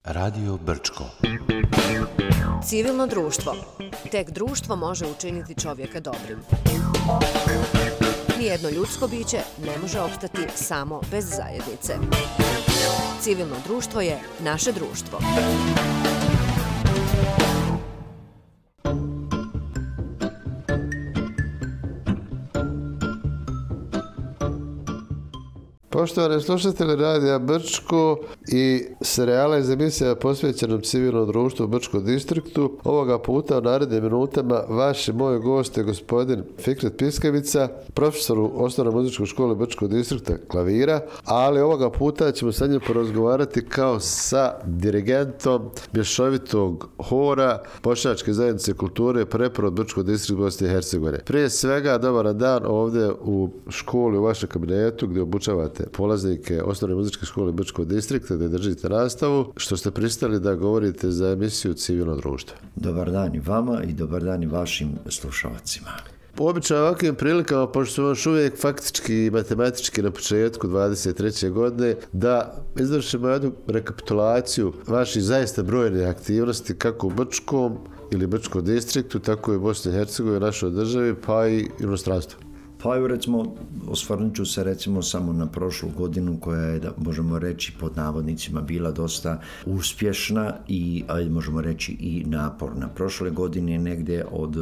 Radio Brčko. Civilno društvo. Tek društvo može učiniti čovjeka dobrim. Nijedno ljudsko biće ne može opstati samo bez zajednice. Civilno društvo je naše društvo. Poštovani slušatelji Radija Brčko i serijala iz emisija posvećenom civilnom društvu u Brčkom distriktu, ovoga puta u narednim minutama vaš i moj gost je gospodin Fikret Piskavica, profesor u Osnovnoj muzičkoj školi Brčkog distrikta klavira, ali ovoga puta ćemo sa njim porazgovarati kao sa dirigentom mješovitog hora Bošnjačke zajednice kulture Preporod Brčkog distrikta Bosne i Hercegovine. Prije svega, dobar dan ovdje u školi, u vašem kabinetu gdje obučavate polaznike Osnovne muzičke škole Brčkog distrikta, gdje držite nastavu, što ste pristali da govorite za emisiju Civilno društvo. Dobar dan i vama i dobar dan i vašim slušalcima. Obično ovakvim prilikama, pošto smo još uvijek faktički i matematički na početku 23. godine, da izvršimo jednu rekapitulaciju vaših zaista brojnih aktivnosti, kako u Brčkom ili Brčkom distriktu, tako i u Bosni i Hercegovini, našoj državi, pa i inostranstvu. Pa evo recimo, osvrnut ću se recimo samo na prošlu godinu koja je, da možemo reći pod navodnicima, bila dosta uspješna i možemo reći i naporna. Prošle godine negdje od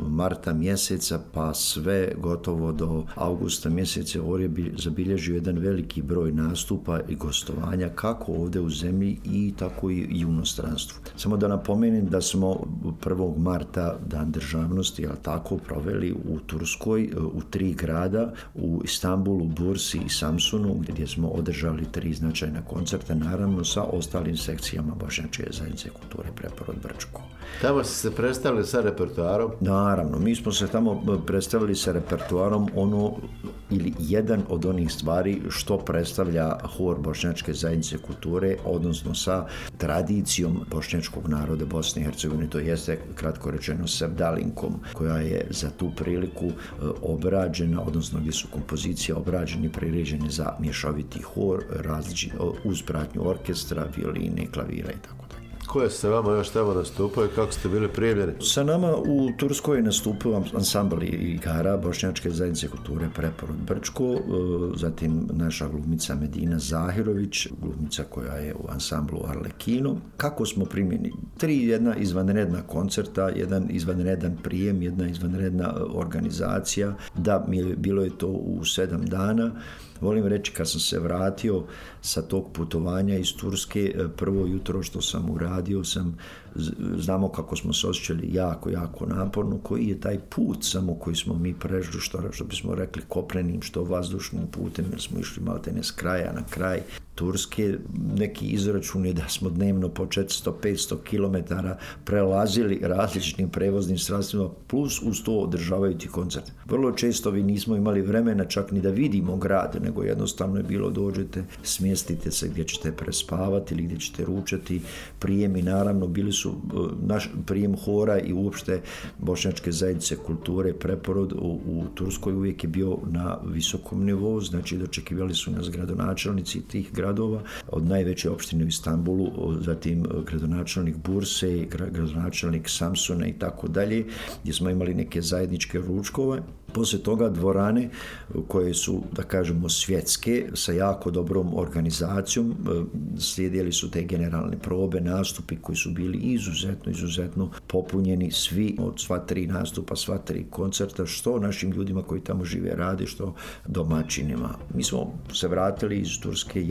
marta mjeseca pa sve gotovo do augusta mjeseca Or je zabilježio jedan veliki broj nastupa i gostovanja kako ovdje u zemlji i tako i u inostranstvu. Samo da napomenem da smo 1. marta Dan državnosti, ali tako, proveli u Turskoj, u 3 grada, u Istanbulu, Bursi i Samsunu, gdje smo održali 3 značajna koncerta, naravno sa ostalim sekcijama Bošnjačke zajednice kulture Preporod Brčko. Tamo ste se predstavili sa repertoarom? Naravno, mi smo se tamo predstavili sa repertoarom ili jedan od onih stvari što predstavlja hor Bošnjačke zajednice kulture, odnosno sa tradicijom bošnjačkog naroda Bosne i Hercegovine, to jeste, kratko rečeno, sevdalinkom, koja je za tu priliku obrađena, odnosno gdje su kompozicije obrađene i priređene za mješoviti hor, uz pratnju orkestra, violine, klavira i tako. Koje ste vama još tamo nastupaju, kako ste bili primljeni? Sa nama u Turskoj nastupio ansambl igara Bošnjačke zajednice kulture Preporod Brčko, zatim naša glumica Medina Zahirović, glumica koja je u ansamblu Arlekino. Kako smo primljeni? 3 jedna izvanredna koncerta, jedan izvanredan prijem, jedna izvanredna organizacija. Da, bilo je to u 7 dana. Volim reći, kad sam se vratio sa tog putovanja iz Turske, prvo jutro što sam uradio, znamo kako smo se osjećali jako naporno, koji je taj put samo koji smo mi prešli, što bismo rekli kopnenim, što vazdušnim putem, jer smo išli maltene s kraja na kraj Turske. Neki izračun je da smo dnevno po 400-500 km prelazili različitim prevoznim sredstvima, plus uz to održavajući koncert. Vrlo često vi nismo imali vremena čak ni da vidimo grad, nego jednostavno je bilo dođete, smjestite se gdje ćete prespavati ili gdje ćete ručati. Prijemi, naravno, bili su naš prijem hora i uopšte Bošnjačke zajednice kulture Preporod u Turskoj uvijek je bio na visokom nivou, znači dočekivali su nas gradonačelnici tih gradova, od najveće opštine u Istanbulu, zatim gradonačelnik Burse, gradonačelnik Samsuna i tako dalje, gdje smo imali neke zajedničke ručkove. Poslije toga dvorane koje su, da kažemo, svjetske, sa jako dobrom organizacijom, slijedili su te generalne probe, nastupi koji su bili izuzetno popunjeni, svi od sva 3 nastupa, sva 3 koncerta, što našim ljudima koji tamo žive rade, što domaćinima. Mi smo se vratili iz Turske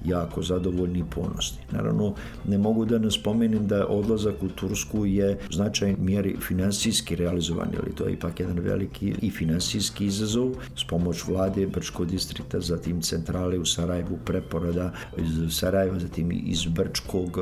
jako zadovoljni i ponosni. Naravno, ne mogu da ne spomenem da odlazak u Tursku je u značajnoj mjeri finansijski realizovan, ali to je ipak jedan veliki i finansijski izazov, s pomoć vlade Brčkog distrikta, zatim centrale u Sarajevu, Preporoda iz Sarajeva, zatim iz Brčkog.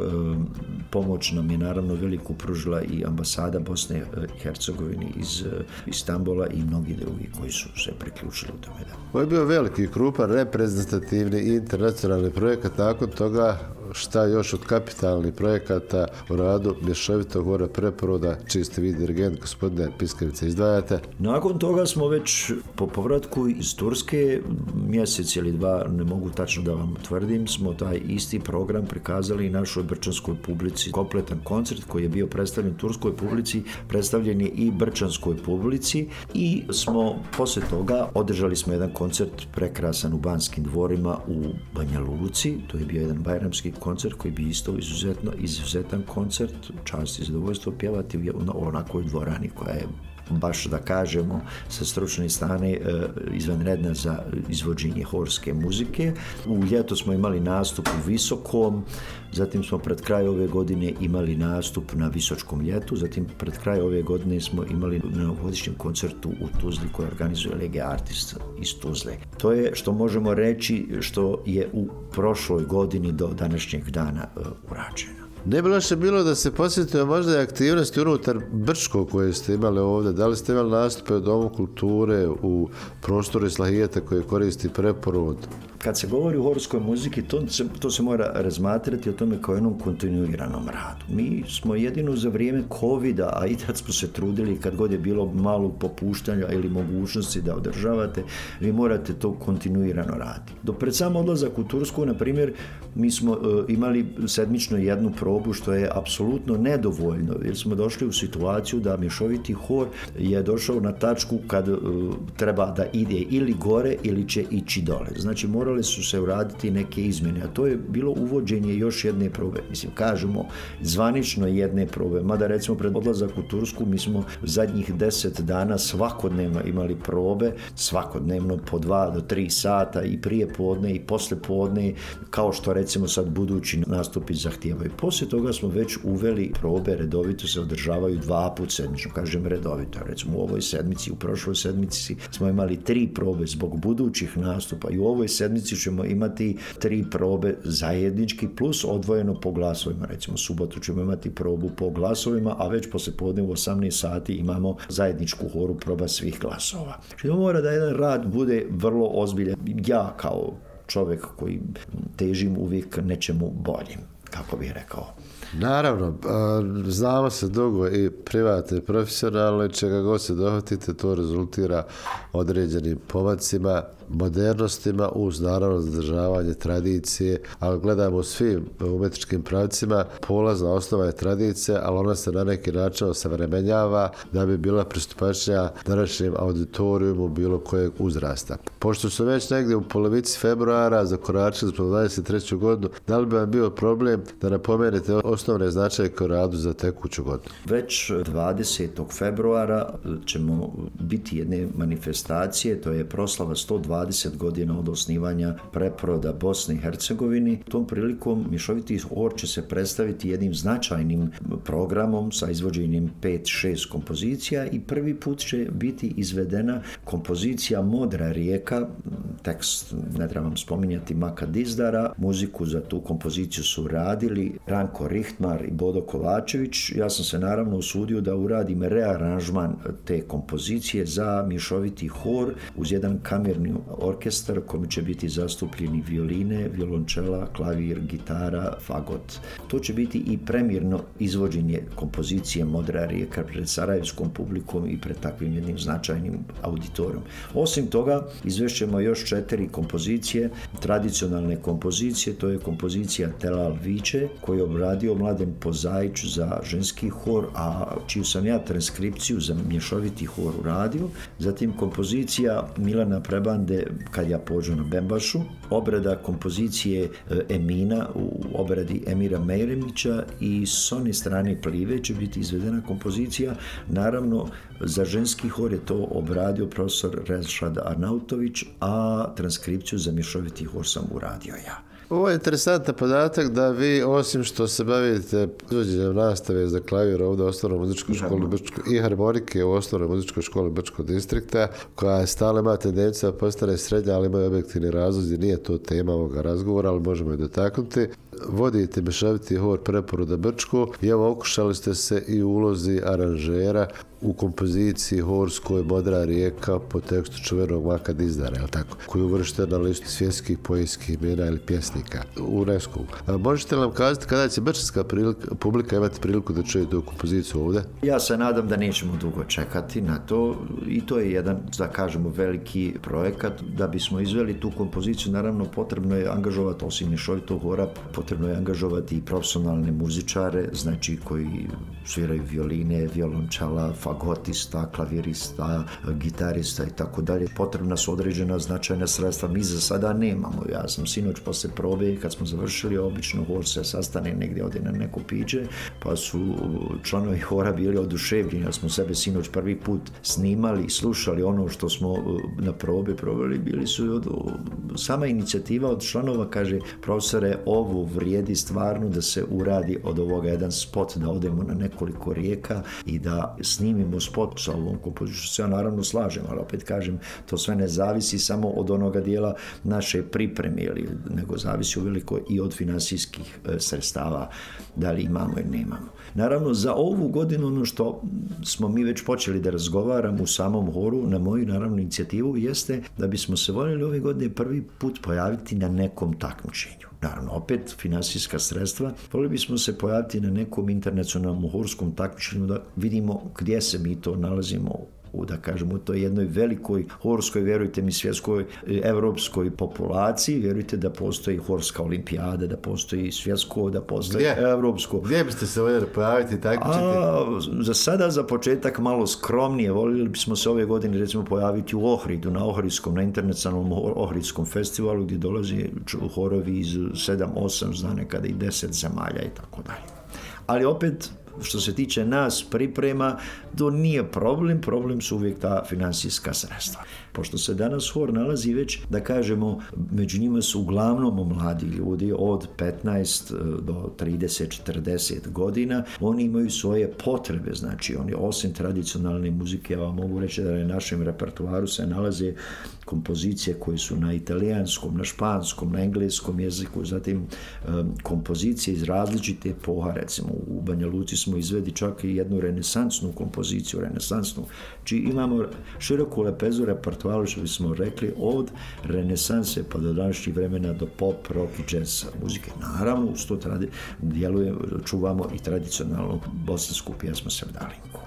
Pomoć nam je naravno veliku pružila i ambasada Bosne i Hercegovine iz Istanbula i mnogi drugi koji su se priključili u tome. Ovo je bio veliki, krupan, reprezentativni i internacionalni projekat. Nakon toga šta još od kapitalnih projekata u radu mješovitog hora Preporoda, čiji ste vi dirigent, gospodine Piskavice, izdvajate? Nakon toga smo već po povratku iz Turske, mjesec ili dva, ne mogu tačno da vam tvrdim, smo taj isti program prikazali i našoj brčanskoj publici. Kompletan koncert koji je bio predstavljen turskoj publici, predstavljen je i brčanskoj publici i smo posle toga održali smo jedan koncert prekrasan u Banskim dvorima u Banja Luci. To je bio jedan bajramski koncert koji bi isto izuzetan koncert, čast i zadovoljstvo pjevati u onakoj dvorani koja je baš da kažemo sa stručne strane izvanredna za izvođenje horske muzike. U ljeto smo imali nastup u Visokom, zatim smo pred kraj ove godine imali nastup na Visočkom ljetu, zatim pred kraj ove godine smo imali na novogodišnjem koncertu u Tuzli koji organizuje Lege Artist iz Tuzle. To je što možemo reći što je u prošloj godini do današnjeg dana urađeno. Ne bi loše bilo da se posjetio možda i aktivnosti unutar Brčkog koje ste imali ovdje. Da li ste imali nastupe u Domu kulture, u prostoru Islahijeta koje koristi Preporod? Kad se govori o horskoj muziki, to se mora razmatrati o tome kao jednom kontinuiranom radu. Mi smo jedino za vrijeme covida, a i tad smo se trudili kad god je bilo malog popuštanja ili mogućnosti da održavate, vi morate to kontinuirano raditi. Do pred sam odlazak u Tursku, na primjer, mi smo imali sedmično jednu probu, što je apsolutno nedovoljno, jer smo došli u situaciju da mješoviti hor je došao na tačku kad treba da ide ili gore ili će ići dole. Znači, morali su se uraditi neke izmjene, a to je bilo uvođenje još jedne probe. Mislim, kažemo zvanično jedne probe, mada recimo pred odlazak u Tursku mi smo zadnjih 10 dana svakodnevno imali probe, svakodnevno po 2 do 3 sata i prije podne i posle podne, kao što recimo sad budući nastupi zahtijevaju. Poslije toga smo već uveli probe, redovito se održavaju 2 puta sedmično, kažem redovito. Recimo u ovoj sedmici, u prošloj sedmici smo imali 3 probe zbog budućih nastupa i u ovoj sedmici ćemo imati 3 probe zajednički plus odvojeno po glasovima. Recimo subotu ćemo imati probu po glasovima, a već posle podne u 18 sati imamo zajedničku horu proba svih glasova. Znači mora da jedan rad bude vrlo ozbiljan. Ja kao čovjek koji težim uvijek nečemu boljim, kako bih rekao. Naravno, znamo se dugo i privatno i profesionalno, čega god se dohvatite, to rezultira određenim pomacima, modernostima uz naravno zadržavanje tradicije, ali gledamo u svim umjetničkim pravcima, polazna osnova je tradicija, ali ona se na neki način osavremenjava da bi bila pristupačnija današnjem auditorijumu bilo kojeg uzrasta. Pošto su već negdje u polovici februara zakoračili smo 23. godinu, da li bi vam bio problem da napomenete osnovne značajke u radu za tekuću godinu? Već 20. februara ćemo biti jedne manifestacije, to je proslava 120 godina od osnivanja Preporoda Bosne i Hercegovine. Tom prilikom mješoviti hor će se predstaviti jednim značajnim programom sa izvođenjem 5-6 kompozicija i prvi put će biti izvedena kompozicija Modra rijeka, tekst ne trebam spominjati Maka Dizdara, muziku za tu kompoziciju su radili Ranko Richtmar i Bodo Kovačević. Ja sam se naravno usudio da uradim rearanžman te kompozicije za mješoviti hor uz jedan kamerni orkestar kojim će biti zastupljeni violine, violončela, klavir, gitara, fagot. To će biti i premijerno izvođenje kompozicije Modra rijeka pred sarajevskom publikom i pred takvim jednim značajnim auditorijom. Osim toga, izvešćemo još 4 kompozicije, tradicionalne kompozicije, to je kompozicija Telal Viče, koju je obradio Mladen Pozaić za ženski hor, a čiju sam ja transkripciju za mješoviti hor uradio. Zatim kompozicija Milana Prebande Kad ja pođu na Bembašu, obrada kompozicije Emina u obradi Emira Mejremića i s one strane Plive će biti izvedena kompozicija. Naravno, za ženski hor je to obradio profesor Rešad Arnautović, a transkripciju za mješoviti hor sam uradio ja. Ovo je interesantan podatak da vi, osim što se bavite izvođenjem nastave za klavir ovdje u Osnovnoj muzičkoj školi Brčko i harmonike u Osnovnoj muzičkoj školi Brčkog distrikta, koja stalno ima tendenciju da postane srednja, ali imaju objektivni razlozi, nije to tema ovoga razgovora, ali možemo je dotaknuti. vodite mješoviti hor Preporuda Brčko i evo okušali ste se i u ulozi aranžera u kompoziciji horskoj Modra rijeka po tekstu čuvenog Maka Dizdara, je li tako? Koji je uvršten na listu svjetskih poetskih imena ili pjesnika UNESCO. Možete li nam kazati kada će brčanska publika imati priliku da čuje tu kompoziciju ovdje? Ja se nadam da nećemo dugo čekati na to i to je jedan, da kažemo, veliki projekat. Da bismo izveli tu kompoziciju, naravno potrebno je angažovati, osim mješovitog hora, potrebno je angažovati i profesionalne muzičare, znači koji sviraju violine, violončala, fagotista, klavirista, gitarista i tako dalje. Potrebna su određena značajna sredstva. Mi za sada nemamo. Ja sam sinoć posle probe, kad smo završili, obično hor se sastane negdje ovdje na neko piće, pa su članovi hora bili oduševljeni, jer smo sebe sinoć prvi put snimali, slušali ono što smo na probe proveli, bili su sama inicijativa od članova, kaže, profesore, ovo vrijedi stvarno da se uradi od ovoga jedan spot, da odemo na nekoliko rijeka i da snimimo spot sa ovom kompozicijom. Se ja naravno slažem, ali opet kažem, to sve ne zavisi samo od onoga dijela naše pripreme, nego zavisi uveliko i od finansijskih sredstava, da li imamo ili nemamo. Naravno, za ovu godinu ono što smo mi već počeli da razgovaramo u samom horu, na moju naravno inicijativu, jeste da bismo se voljeli ove godine prvi put pojaviti na nekom takmičenju. Naravno, opet finansijska sredstva. Voljeli bismo se pojaviti na nekom internacionalnom horskom takmičenju da vidimo gdje se mi to nalazimo da kažemo, u toj jednoj velikoj horskoj, vjerujte mi, svjetskoj, evropskoj populaciji. Vjerujte da postoji horska olimpijada, da postoji svjetsko, da postoji evropsko. Gdje biste se voljeli pojaviti takmičiti? Za sada, za početak, malo skromnije. Voljeli bismo se ove godine, recimo, pojaviti u Ohridu, na Ohridskom, na internacionalnom Ohridskom festivalu, gdje dolazi horovi iz 7-8, zna nekada i 10 zemalja i tako dalje. Ali opet, što se tiče nas priprema, to nije problem su uvijek ta finansijska sredstva. Pošto se danas hor nalazi već, da kažemo, među njima su uglavnom mladi ljudi od 15 do 30-40 godina, oni imaju svoje potrebe, znači oni osim tradicionalne muzike, ja vam mogu reći da na našem repertoaru se nalaze kompozicije koje su na italijanskom, na španskom, na engleskom jeziku, zatim kompozicije iz različite epoha, recimo u Banja Luci smo izvedi čak i jednu renesansnu kompoziciju, Či imamo široku lepezu repertoaru, što bismo rekli, od renesanse pa do današnjih vremena do pop, rock i jazz muzike. Naravno, uz to čuvamo i tradicionalnu bosansku pjesmu Sevdalinku.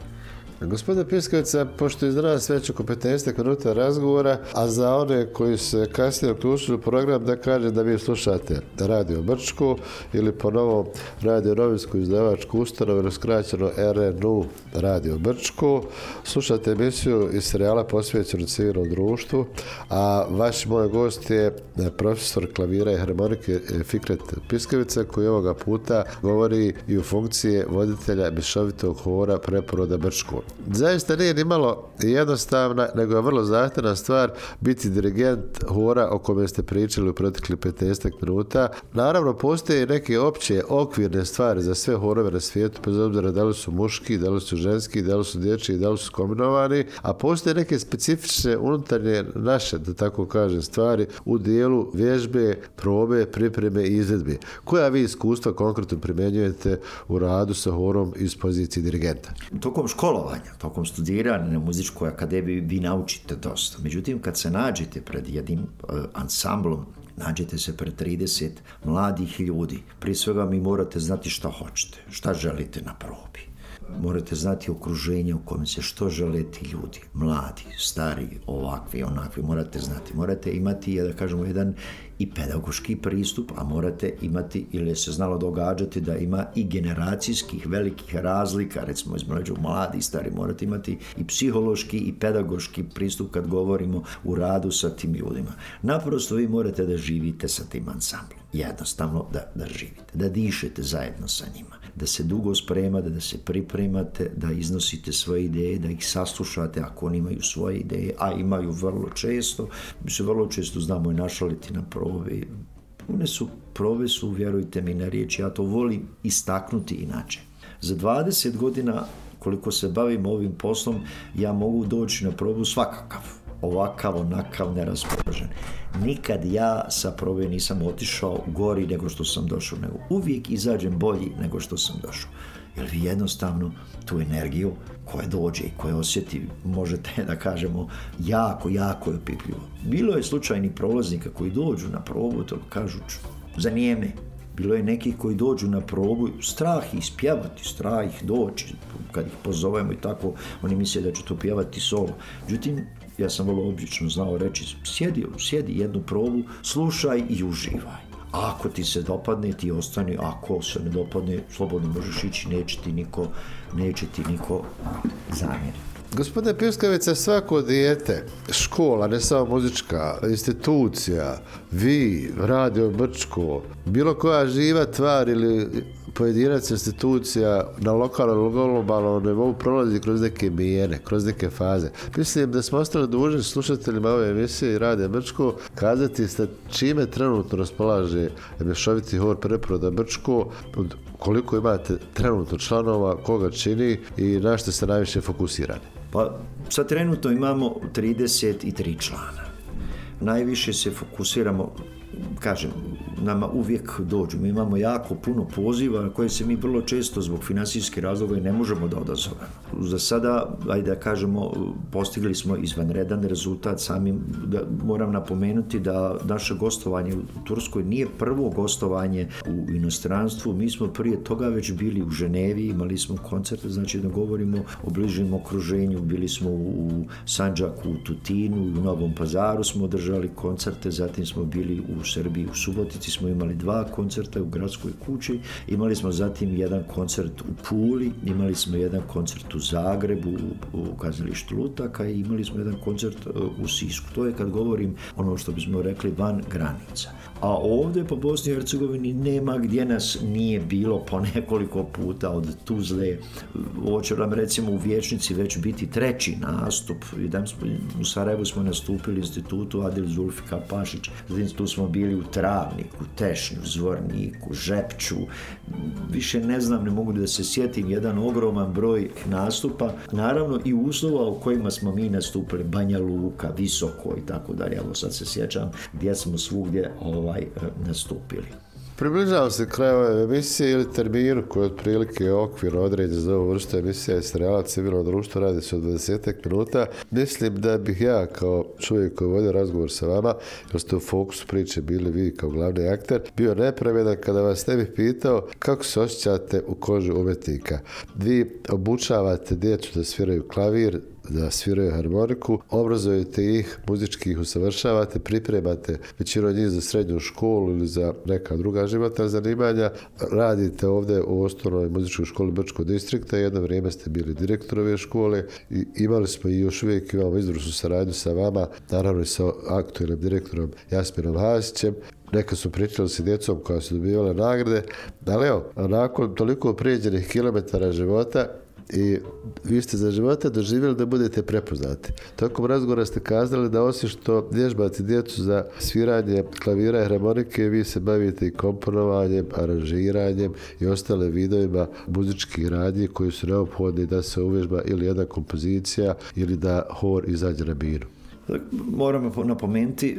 Gospodine Piskavica, pošto je iz nas već oko 15 minuta razgovora, a za one koji se kasnije uključili u program, da kaže da vi slušate Radio Brčko ili po novom Radio Novinsku izdavačku ustanovu ili skraćeno RNU Radio Brčko. Slušate emisiju iz serijala posvećenu civilnom društvu, a vaš moj gost je profesor klavira i harmonike Fikret Piskavica, koji ovoga puta govori i u funkciji voditelja mješovitog hora Preporuda Brčko. Zaista nije ni malo jednostavna, nego je vrlo zahtjevna stvar biti dirigent hora o kome ste pričali u protekli 15 minuta. Naravno, postoje neke opće okvirne stvari za sve horove na svijetu, bez obzira da li su muški, da li su ženski, da li su dječji, da li su kombinovani, a postoje neke specifične unutarnje naše, da tako kažem, stvari u dijelu vježbe, probe, pripreme i izvedbe. Koja vi iskustva konkretno primjenjujete u radu sa horom iz pozicije dirigenta? Tokom školovanja, tokom studiranja na muzičkoj akademiji vi naučite dosta. Međutim, kad se nađete pred jednim ansamblom, nađete se pred 30 mladih ljudi. Prije svega mi morate znati šta hoćete, šta želite na probi. Morate znati okruženje u kojem se što žele ti ljudi, mladi, stari, ovakvi, onakvi, morate znati. Morate imati, da kažemo, jedan i pedagoški pristup, a morate imati, ili se znalo događati da ima i generacijskih velikih razlika, recimo između mladi i stari, morate imati i psihološki i pedagoški pristup kad govorimo u radu sa tim ljudima. Naprosto vi morate da živite sa tim ansamblom, jednostavno da živite, da dišete zajedno sa njima, da se dugo spremate, da se pripremate, da iznosite svoje ideje, da ih saslušate ako oni imaju svoje ideje, a imaju vrlo često. Mi se vrlo često znamo i našaliti na probe. Probe su, vjerujte mi na riječ, ja to volim istaknuti inače. Za 20 godina koliko se bavim ovim poslom, ja mogu doći na probu svakakav. ovakav, onakav, neraspoložen. Nikad ja sa probe nisam otišao gori nego što sam došao, nego uvijek izađem bolji nego što sam došao. Jer vi jednostavno tu energiju koja dođe i koja osjeti, možete da kažemo, jako je opipljivo. Bilo je slučajnih prolaznika koji dođu na probu, to kažu zanijeme. Bilo je nekih koji dođu na probu, strah ih spjevati, strah ih doći, kad ih pozovemo i tako, oni misle da će to pjevati solo. Međutim, ja sam vrlo obično znao reći, sjedi jednu probu, slušaj i uživaj. Ako ti se dopadne, ti ostani, ako se ne dopadne, slobodno možeš ići, neće ti niko zamjeriti. Gospodine Piskavica, svako dijete, škola, ne samo muzička, institucija, vi, Radio Brčko, bilo koja živa tvar ili pojedinac institucija na lokalnom ili globalnom nivou prolazi kroz neke mijene, kroz neke faze. Mislim da smo ostali dužni slušateljima ove emisije i Radio Brčko kazati sa čime trenutno raspolaže mješoviti hor Preporoda Brčko, koliko imate trenutno članova, koga čini i na što ste najviše fokusirani. Pa sad trenutno imamo 33 člana. Najviše se fokusiramo, kažem, nama uvijek dođu. Mi imamo jako puno poziva na koje se mi vrlo često zbog financijskih razloga ne možemo da odazovemo. Za sada, ajde da kažemo, postigli smo izvanredan rezultat samim. Moram napomenuti da naše gostovanje u Turskoj nije prvo gostovanje u inostranstvu. Mi smo prije toga već bili u Ženevi, imali smo koncerte, znači da govorimo o bližem okruženju. Bili smo u Sandžaku, u Tutinu, u Novom Pazaru smo održali koncerte, zatim smo bili u Srbiji, u Subotici smo imali 2 koncerta u Gradskoj kući, imali smo zatim jedan koncert u Puli, imali smo jedan koncert u Zagrebu, u kazalištu Lutaka i imali smo jedan koncert u Sisku. To je, kad govorim, ono što bismo rekli, van granica. A ovdje po Bosni i Hercegovini nema gdje nas nije bilo po nekoliko puta, od Tuzle. Ovo će nam recimo u Vijećnici već biti 3. nastup. U Sarajevu smo nastupili u institutu Adil Zulfika Pašić, zatim tu smo bili u Travniku, Tešnju, Zvorniku, Žepču. Više ne znam, ne mogu da se sjetim, jedan ogroman broj nastupa. Naravno i uslova u kojima smo mi nastupili, Banja Luka, Visoko i tako dalje. Evo sad se sjećam gdje smo svugdje nastupili. Približavamo se kraju ove emisije ili terminu koji je otprilike okvir određen za ovu vrstu emisija iz serijala Civilno društvo, radi se od 20 minuta. Mislim da bih ja kao čovjek koji vodio razgovor sa vama, jer ste u fokusu priče bili vi kao glavni akter, bio nepravedan kada vas ne bih pitao kako se osjećate u koži umjetnika. Vi obučavate djecu da sviraju klavir, da sviraju harmoniku, obrazujete ih, muzički ih usavršavate, pripremate većinu njih za srednju školu ili za neka druga životna zanimanja. Radite ovdje u osnovnoj muzičkoj školi Brčkog distrikta, jedno vrijeme ste bili direktor ove škole i imali smo i još uvijek imamo izvrsnu saradnju sa vama, naravno i sa aktualnim direktorom Jasminom Hasićem. Neka su pričali sa djecom koja su dobivala nagrade, ali evo, nakon toliko prijeđenih kilometara života i vi ste za života doživjeli da budete prepoznati. Tokom razgovora ste kazali da osim što vježbate djecu za sviranje klavira i harmonike, vi se bavite i komponovanjem, aranžiranjem i ostale vidovima muzičkih radnji koji su neophodni da se uvježba ili jedna kompozicija ili da hor izađe na binu. Moram napomenuti,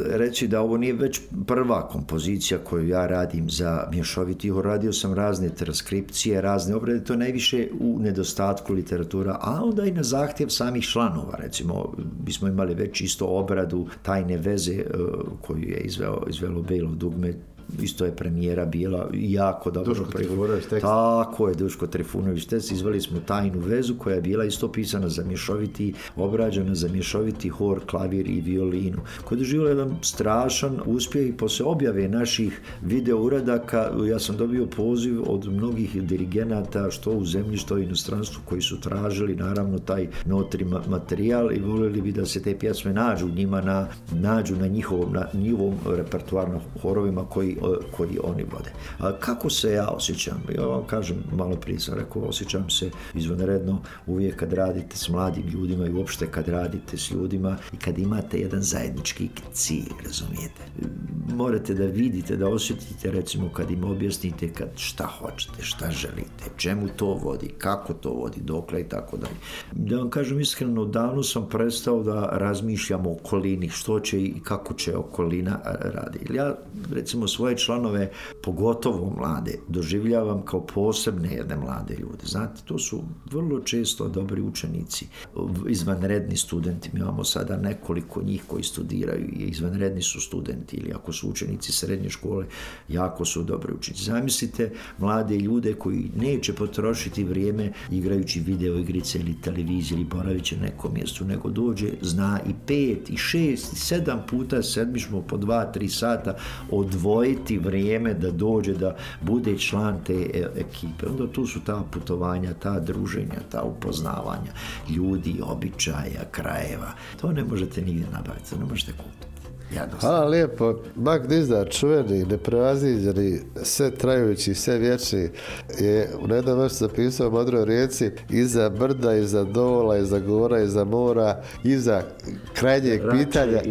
reći da ovo nije već prva kompozicija koju ja radim za mješoviti hor. Radio sam razne transkripcije, razne obrade, to najviše u nedostatku literatura, a onda i na zahtjev samih članova. Recimo, bismo imali već isto obradu Tajne veze koju je izvelo Belo dugme. Isto je premijera bila jako dobro. Duško Trifunović tekst. Tako je, Duško Trifunović tekst. Izveli smo Tajnu vezu koja je bila isto pisana za mješoviti, obrađena za mješoviti hor, klavir i violinu. Koja je doživjela jedan strašan uspjeh i posle objave naših video uradaka ja sam dobio poziv od mnogih dirigenata što u zemlji, što u inostranstvu koji su tražili naravno taj notri materijal i voljeli bi da se te pjesme nađu njima nađu na njihovom repertoarnom horovima koji koji oni vode. A kako se ja osjećam? Ja vam kažem, malo prije sam rekao, osjećam se izvanredno uvijek kad radite s mladim ljudima i uopšte kad radite s ljudima i kad imate jedan zajednički cilj, razumijete? Morate da vidite, da osjetite, recimo kad im objasnite kad šta hoćete, šta želite, čemu to vodi, kako to vodi, dokle i tako dalje. Da vam kažem iskreno, davno sam prestao da razmišljam o okolini, što će i kako će okolina radi. Ja, recimo, svoje članove, pogotovo mlade, doživljavam kao posebne jedne mlade ljude. Znate, to su vrlo često dobri učenici, izvanredni studenti. Mi imamo sada nekoliko njih koji studiraju i izvanredni su studenti, ili ako su učenici srednje škole, jako su dobri učenici. Zamislite mlade ljude koji neće potrošiti vrijeme igrajući video igrice ili televiziju ili boravit će nekom mjestu, nego dođe, zna i 5, i 6, i 7 puta sedmišmo po 2-3 sata odvojiti vrijeme da dođe, da bude član te ekipe. Onda tu su ta putovanja, ta druženja, ta upoznavanja ljudi, običaja, krajeva. To ne možete nigdje nabaviti, to ne možete kupiti. Hvala lijepo. Mag Dizdar, čuveni, neprevaziđeni, sve trajući, sve vječni, je u jednom mjestu zapisao u Modroj rijeci: iza brda, iza dola, iza gora, iza mora, iza krajnjeg pitanja,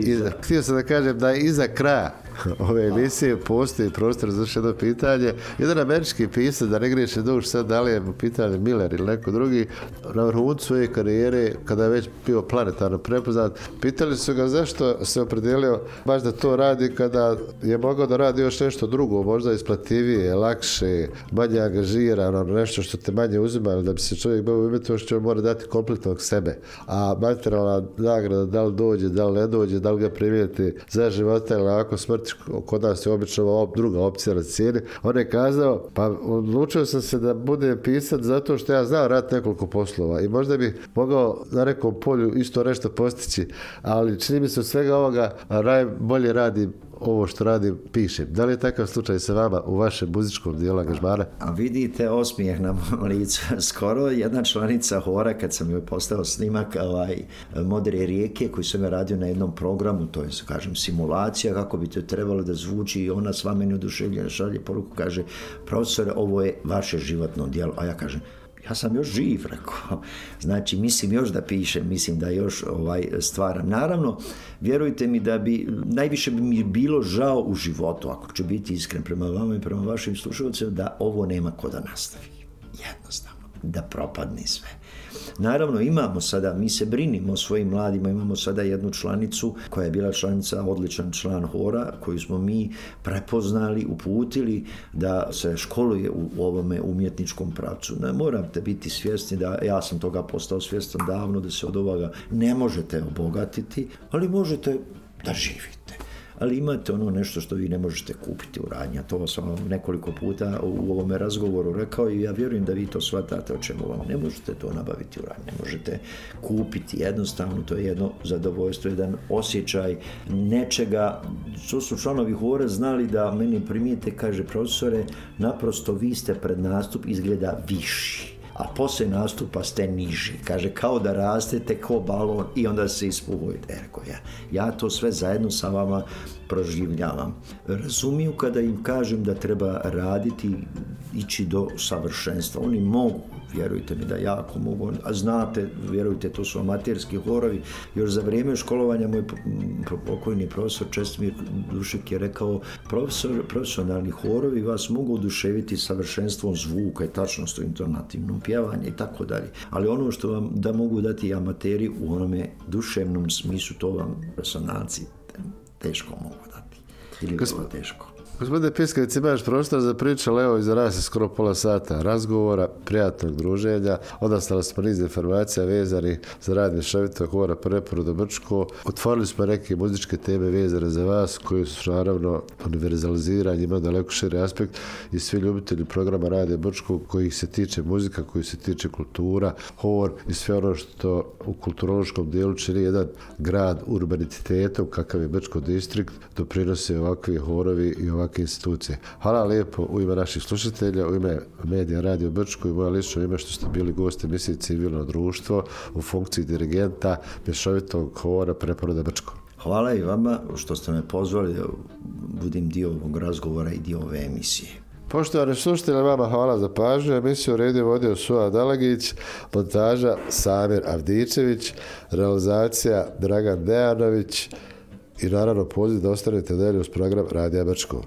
htio sam da kažem da je iza kraja ove emisije postoji prostor za još jedno pitanje. Jedan američki pisac, da ne griješi duš sad, da li je pitanje Miller ili neko drugi, na vrhuncu svoje karijere, kada je već bio planetarno prepoznat, pitali su ga zašto se opredelio baš da to radi kada je mogao da radi još nešto drugo, možda isplativije, lakše, manje angažirano, nešto što te manje uzima, da bi se čovjek bavio umjetnošću, mora dati kompletnog sebe. A materijalna nagrada, da li dođe, da li ne dođe, da li ga primijeti za života ili ako smrti, kod nas je obično druga opcija na cijeni. On je kazao, pa odlučio sam se da budem pisac zato što ja znao raditi nekoliko poslova i možda bih mogao na nekom polju isto nešto postići, ali čini mi se od svega ovoga najbolje radi ovo što radim, pišem. Da li je takav slučaj sa vama u vašem muzičkom dijelu angažmana? A vidite osmijeh na mom licu. Skoro jedna članica hora, kad sam joj postao snimak Modre rijeke, koji sam je radio na jednom programu, to je, kažem, simulacija, kako bi to trebalo da zvuči, i ona sva meni oduševljena šalje poruku, kaže: profesore, ovo je vaše životno djelo. A ja kažem: ja sam još živ, rekao. Znači, mislim još da pišem, mislim da još stvaram. Naravno, vjerujte mi da bi, najviše bi mi bilo žao u životu, ako ću biti iskren prema vama i prema vašim slušalcima, da ovo nema ko da nastavi. Jednostavno, da propadne sve. Naravno, imamo sada, mi se brinimo o svojim mladima, imamo sada jednu članicu koja je bila članica, odličan član hora, koju smo mi prepoznali, uputili da se školuje u ovome umjetničkom pravcu. Ne morate biti svjesni da, ja sam toga postao svjestan davno, da se od ovoga ne možete obogatiti, ali možete da živite. Ali imate ono nešto što vi ne možete kupiti u radnji. To sam vam nekoliko puta u ovome razgovoru rekao i ja vjerujem da vi to shvatate o čemu vam. Ne možete to nabaviti u radnji, ne možete kupiti. Jednostavno, to je jedno zadovoljstvo, jedan osjećaj nečega. To su članovi hora znali da meni primijete, kaže: profesore, naprosto vi ste pred nastup izgleda viši, a poslije nastupa ste niži. Kaže, kao da rastete ko balon i onda se ispuhujete. Ja to sve zajedno sa vama proživljavam. Razumiju kada im kažem da treba raditi, ići do savršenstva. Oni mogu, vjerujte mi da jako mogu, a znate, vjerujte, to su amaterski horovi. Još za vrijeme školovanja moj pokojni profesor Čestimir Dušik je rekao: profesionalni horovi vas mogu oduševiti savršenstvom zvuka i tačnost u intonativnom pjevanju i tako dalje. Ali ono što vam da mogu dati amateri u onome duševnom smislu, to vam resonanci teško mogu dati. Ili vrlo teško. Gospodine Piskavić, imaš prostor za priču, ali evo, iza nas je skoro pola sata razgovora, prijatnog druženja, odastali smo niz informacija vezani za rad mješovitog hora Preporod Brčko. Otvorili smo neke muzičke teme vezane za vas, koji su naravno univerzalizirani, imaju daleko širi aspekt, i svi ljubitelji programa Radija Brčko koji se tiče muzika, koji se tiče kultura, hor i sve ono što u kulturološkom dijelu čini jedan grad urbanitetom, kakav je Brčko distrikt, doprinose ovakvi horovi i ovakve institucije. Hvala lijepo u ime naših slušatelja, u ime Medija Radio Brčko i moja lično ime što ste bili gosti emisije Civilno društvo u funkciji dirigenta mješovitog hora Preporoda Brčko. Hvala i vama što ste me pozvali da budim dio ovog razgovora i dio ove emisije. Poštovani slušatelji, vama hvala za pažnju. Emisiju redio vodio Suad Dalagić, montaža Samir Avdičević, realizacija Dragan Dejanović i naravno poziv da ostanete dalje uz program Radija Brčko.